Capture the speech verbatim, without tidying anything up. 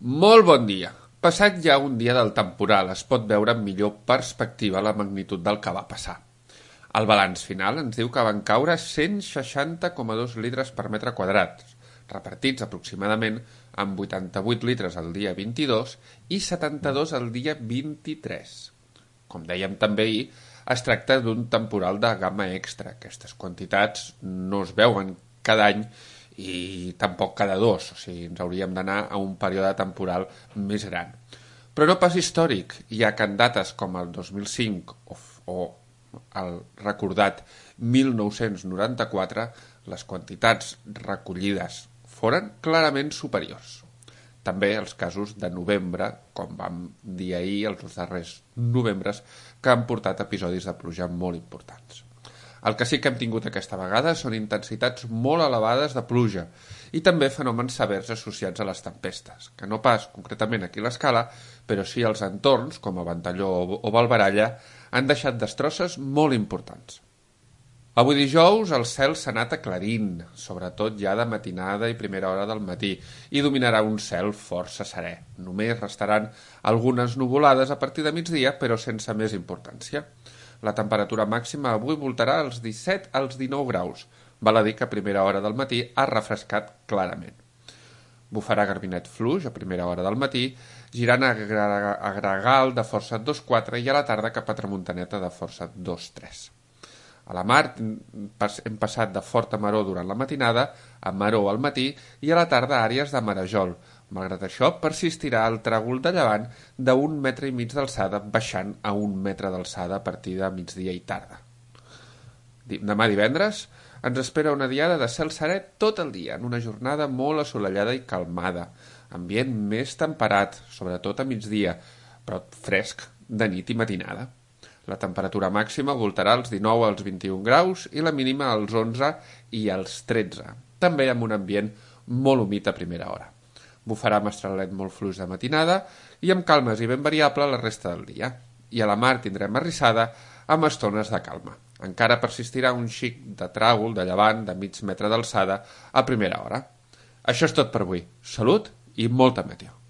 Molt bon dia. Passat ja un dia del temporal, es pot veure amb millor perspectiva la magnitud del que va passar. El balanç final ens diu que van caure cent seixanta coma dos litres per metre quadrat, repartits aproximadament amb vuitanta-vuit litres el dia vint-i-dos i setanta-dos el dia vint-i-tres. Com dèiem també ahir, es tracta d'un temporal de gamma extra. Aquestes quantitats no es veuen cada any i tampoc cada dos, o sigui, ens hauríem d'anar a un període temporal més gran. Però no pas històric, ja que en dates com el dos mil cinc o, o el recordat mil nou-cents noranta-quatre, les quantitats recollides foren clarament superiors. També els casos de novembre, com vam dir ahir, els darrers novembres, que han portat episodis de pluja molt importants. El que sí que hem tingut aquesta vegada són intensitats molt elevades de pluja i també fenòmens severs associats a les tempestes, que no pas concretament aquí a l'Escala, però sí als entorns, com a Ventalló o Valbaralla, han deixat destrosses molt importants. Avui dijous el cel s'ha anat aclarint, sobretot ja de matinada i primera hora del matí, i dominarà un cel força serè. Només restaran algunes nuvolades a partir de migdia, però sense més importància. La temperatura màxima avui voltarà als disset als dinou graus. Val a dir que a primera hora del matí ha refrescat clarament. Bufarà garbinet fluix a primera hora del matí, girant a gregal de força dos coma quatre i a la tarda cap a tramuntaneta de força dos coma tres. A la mar hem passat de forta maror durant la matinada a maror al matí i a la tarda àrees de marejol. Malgrat això, persistirà el tràgol de llevant d'un metre i mig d'alçada, baixant a un metre d'alçada a partir de migdia i tarda. Demà divendres ens espera una diada de cel serè tot el dia, en una jornada molt assolellada i calmada, ambient més temperat, sobretot a migdia, però fresc de nit i matinada. La temperatura màxima voltarà als dinou als vint-i-un graus i la mínima als onze i als tretze, també amb un ambient molt humit a primera hora. Bufarà mestralet molt fluix de matinada i amb calmes i ben variable la resta del dia. I a la mar tindrem arrissada amb estones de calma. Encara persistirà un xic de tràgol de llevant de mig metre d'alçada a primera hora. Això és tot per avui. Salut i molta meteo.